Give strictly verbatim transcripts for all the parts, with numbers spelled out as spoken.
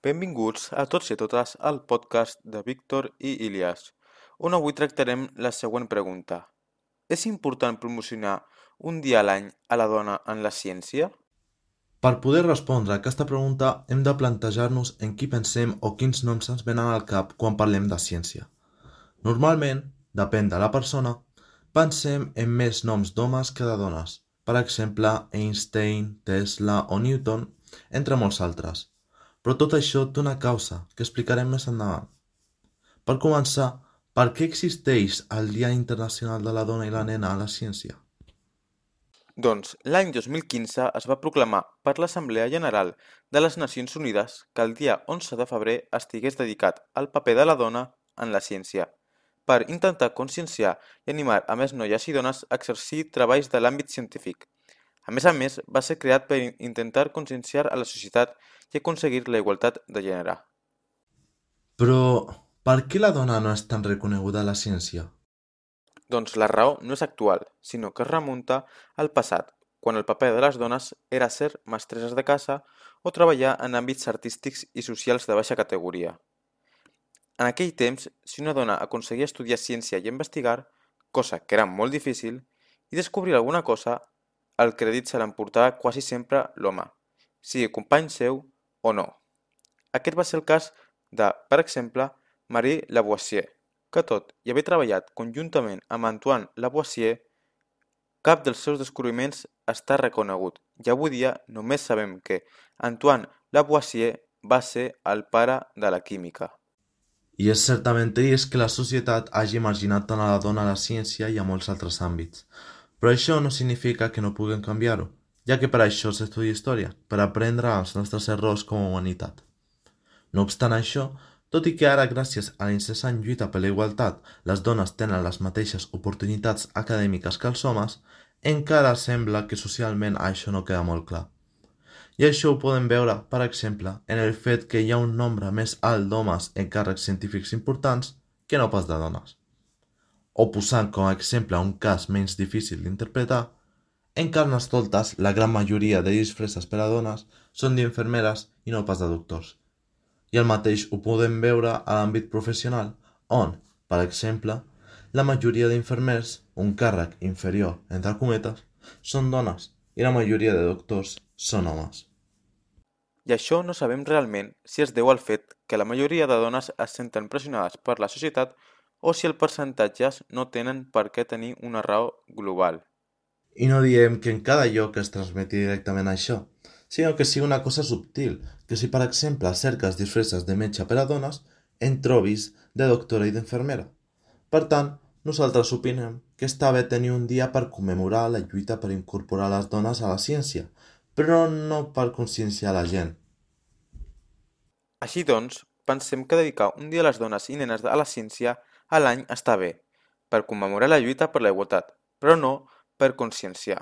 Benvinguts a tots i a totes al podcast de Víctor i Ilias, on avui tractarem la següent pregunta. És important promocionar un dia a l'any a la dona en la ciència? Per poder respondre a aquesta pregunta hem de plantejar-nos en qui pensem o quins noms ens venen al cap quan parlem de ciència. Normalment, depèn de la persona, pensem en més noms d'homes que de dones, per exemple Einstein, Tesla o Newton, entre molts altres. Però tot això té una causa que explicarem més endavant. Per començar, per què existeix el Dia Internacional de la Dona i la Nena a la Ciència? Doncs l'any dos mil quinze es va proclamar per l'Assemblea General de les Nacions Unides que el dia onze de febrer estigués dedicat al paper de la dona en la ciència, per intentar conscienciar i animar a més noies i dones a exercir treballs de l'àmbit científic. A més a més, va ser creat per intentar conscienciar a la societat i aconseguir la igualtat de gènere. Però, per què la dona no és tan reconeguda a la ciència? Doncs la raó no és actual, sinó que es remunta al passat, quan el paper de les dones era ser mestresses de casa o treballar en àmbits artístics i socials de baixa categoria. En aquell temps, si una dona aconseguia estudiar ciència i investigar, cosa que era molt difícil, i descobrir alguna cosa, el crèdit se l'emportava quasi sempre l'home, sigui company seu o no. Aquest va ser el cas de, per exemple, Marie Lavoisier, que tot i haver treballat conjuntament amb Antoine Lavoisier, cap dels seus descobriments està reconegut i avui dia només sabem que Antoine Lavoisier va ser el pare de la química. I és certament trist que la societat hagi marginat tant a la dona a la ciència i a molts altres àmbits. Però això no significa que no puguem canviar-ho, ja que per això s'estudia història, per aprendre els nostres errors com a humanitat. No obstant això, tot i que ara, gràcies a la incessant lluita per la igualtat, les dones tenen les mateixes oportunitats acadèmiques que els homes, encara sembla que socialment això no queda molt clar. I això ho podem veure, per exemple, en el fet que hi ha un nombre més alt d'homes en càrrecs científics importants que no pas de dones. O posant com a exemple un cas menys difícil d'interpretar, en Carnestoltes la gran majoria de disfresses per a dones són d'infermeres i no pas de doctors. I el mateix ho podem veure a l'àmbit professional, on, per exemple, la majoria d'infermers, un càrrec inferior, entre cometes, són dones i la majoria de doctors són homes. I això no sabem realment si es deu al fet que la majoria de dones es senten pressionades per la societat o si els percentatges no tenen per què tenir una raó global. I no diem que en cada lloc es transmeti directament això, sinó que sigui una cosa subtil, que si per exemple cerques disfresses de metge per a dones, en trobis de doctora i d'infermera. Per tant, nosaltres opinem que està bé tenir un dia per commemorar la lluita per incorporar les dones a la ciència, però no per conscienciar la gent. Així doncs, pensem que dedicar un dia a les dones i nenes a la ciència a l'any està bé, per commemorar la lluita per la igualtat, però no per conscienciar.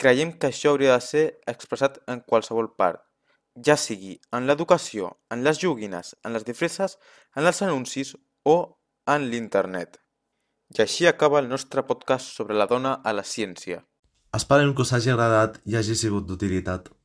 Creiem que això hauria de ser expressat en qualsevol part, ja sigui en l'educació, en les joguines, en les disfresses, en els anuncis o en l'internet. I així acaba el nostre podcast sobre la dona a la ciència. Esperem que us hagi agradat i hagi sigut d'utilitat.